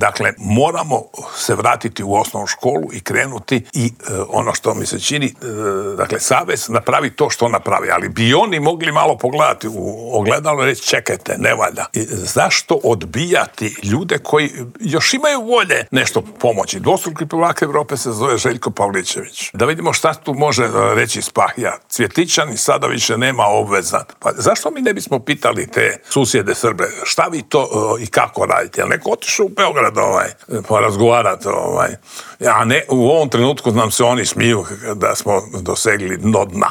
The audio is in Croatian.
Dakle, moramo se vratiti u osnovnu školu i krenuti i ono što mi se čini, dakle, savez napravi to što napravi, ali bi oni mogli malo pogledati u ogledalo i reći čekajte, ne valja. Zašto odbijati ljude koji još imaju volje nešto pomoći? Dvostruki prvak Europe se zove Željko Pavličević. Da vidimo šta tu može reći Spahija. Cvjetičani sada više nema obvezat. Pa zašto mi ne bismo pitali te susjede Srbe, šta vi to i kako radite? Jel neko otišao u Beograd porazgovarati? A ne, u ovom trenutku nam se oni smiju da smo dosegli dno dna.